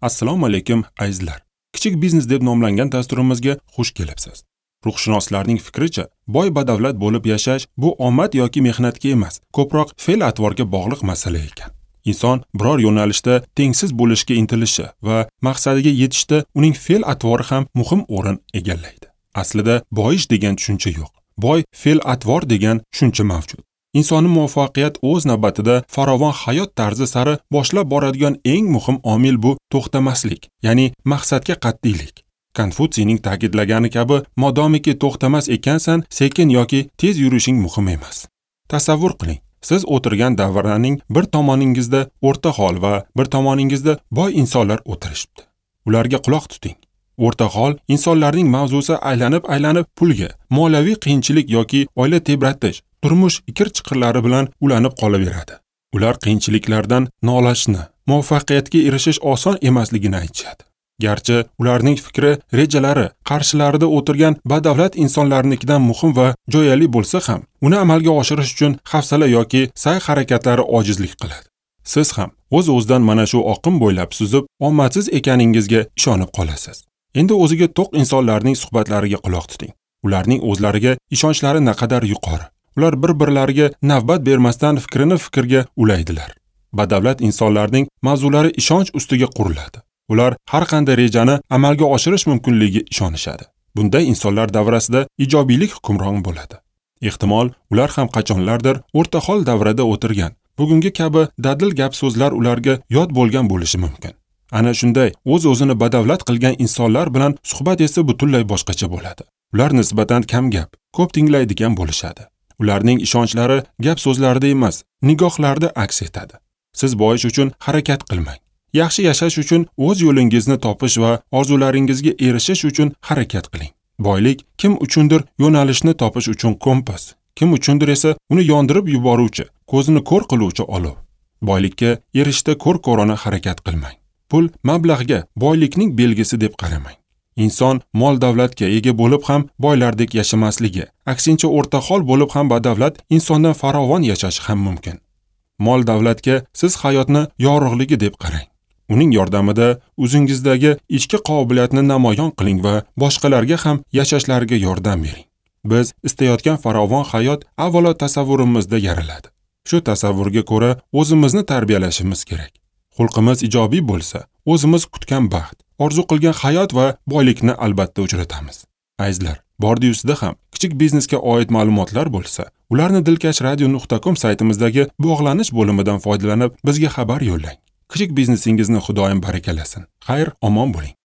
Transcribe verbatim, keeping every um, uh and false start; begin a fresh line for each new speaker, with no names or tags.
Assalomu alaykum azizlar. Kichik biznes deb nomlangan dasturimizga xush kelibsiz. Ruhshunoslarning fikricha, boy badavlat bo'lib yashash bu omad yoki mehnatga emas, ko'proq fe'l-atvorga bog'liq masala ekan. Inson biror yo'nalishda tengsiz bo'lishga intilishi va maqsadiga yetishda uning fe'l-atvori ham muhim o'rin egallaydi. Aslida boyish degan tushuncha yo'q. Boy fe'l-atvor degan tushuncha mavjud. Insonni muvaffaqiyat o'z navbatida farovon hayot tarzi sari boshlab boradigan eng muhim omil bu to'xtamaslik, ya'ni maqsadga qat'iylik. Konfutsiyning ta'kidlagani kabi, modomiki to'xtamas ekansan, sekin yoki tez yurishing muhim emas. Tasavvur qiling, siz o'tirgan davraning bir tomoningizda o'rta hol va bir tomoningizda boy insonlar o'tirishibdi. Ularga quloq tuting. O'rta hol insonlarning mavzusi aylanib-aylanib pulga, moliyaviy qiyinchilik yoki oila tebratish, turmush ikir-chiqirlari bilan ulanib qolaveradi. Ular qiyinchiliklardan nolashni, muvaffaqiyatga erishish oson emasligini aytishadi. Garchi ularning fikri, rejalari qarshilarida o'tirgan badavlat insonlarnikidan muhim va jo'yali bo'lsa ham, uni amalga oshirish uchun hafsala yoki sa'y harakatlari ojizlik qiladi. Siz ham o'z-o'zidan mana shu oqim bo'ylab suzib, omadsiz ekaningizga ishonib qolasiz. Endi o'ziga to'q insonlarning suhbatlariga quloq tuting. Ularning o'zlariga ishonchlari naqadar yuqori. Ular bir-birlariga navbat bermasdan fikrini fikrga ulaydilar. Badavlat insonlarning mavzulari ishonch ustiga quriladi. Ular har qanday rejani amalga oshirish mumkinligiga ishonishadi. Bunday insonlar davrasida ijobiylik hukmron bo'ladi. Ehtimol, ular ham qachonlardir o'rta hol davrada o'tirgan, bugungi kabi dadil gap so'zlar ularga yod bo'lgan bo'lishi mumkin. Ana shunday o'z-o'zini badavlat qilgan insonlar bilan suhbat esa butunlay boshqacha bo'ladi. Ular nisbatan kam gap, ko'p tinglaydigan bo'lishadi. Ularning ishonchlari gap so'zlarida emas, nigohlarda aks etadi. Siz boyish uchun harakat qilmang. Yaxshi yashash uchun o'z yo'lingizni topish va orzularingizga erishish uchun harakat qiling. Boylik kim uchundir yo'nalishni topish uchun kompas, kim uchundir esa uni yondirib yuboruvchi, ko'zini ko'r qiluvchi olov. Boylikka erishishda ko'r-ko'rona harakat qilmang. Pul mablag'ga boylikning belgisi deb qaramang. Inson mol davlatga ega bo'lib ham boylardek yashamasligi, aksincha o'rta hol bo'lib ham badavlat insondan farovon yashashi ham mumkin. Mol davlatga siz hayotni yorug'ligi deb qarang. Uning yordamida o'zingizdagi ichki qobiliyatni namoyon qiling va boshqalarga ham yashashlariga yordam bering. Biz istayotgan farovon hayot avvalo tasavvurimizda yaraladi. Shu tasavvurga ko'ra o'zimizni tarbiyalashimiz kerak. Xulqimiz ijobiy bo'lsa, o'zimiz kutgan baxt, orzu qilgan hayot va boylikni albatta uchratamiz. Azizlar, bordi-yusida ham kichik biznesga oid ma'lumotlar bo'lsa, ularni dilkash radio nuqta com saytimizdagi bog'lanish bo'limidan foydalanib bizga xabar yo'llang. Kichik biznesingizni Xudoyim barakalasin. Xayr, omon bo'ling.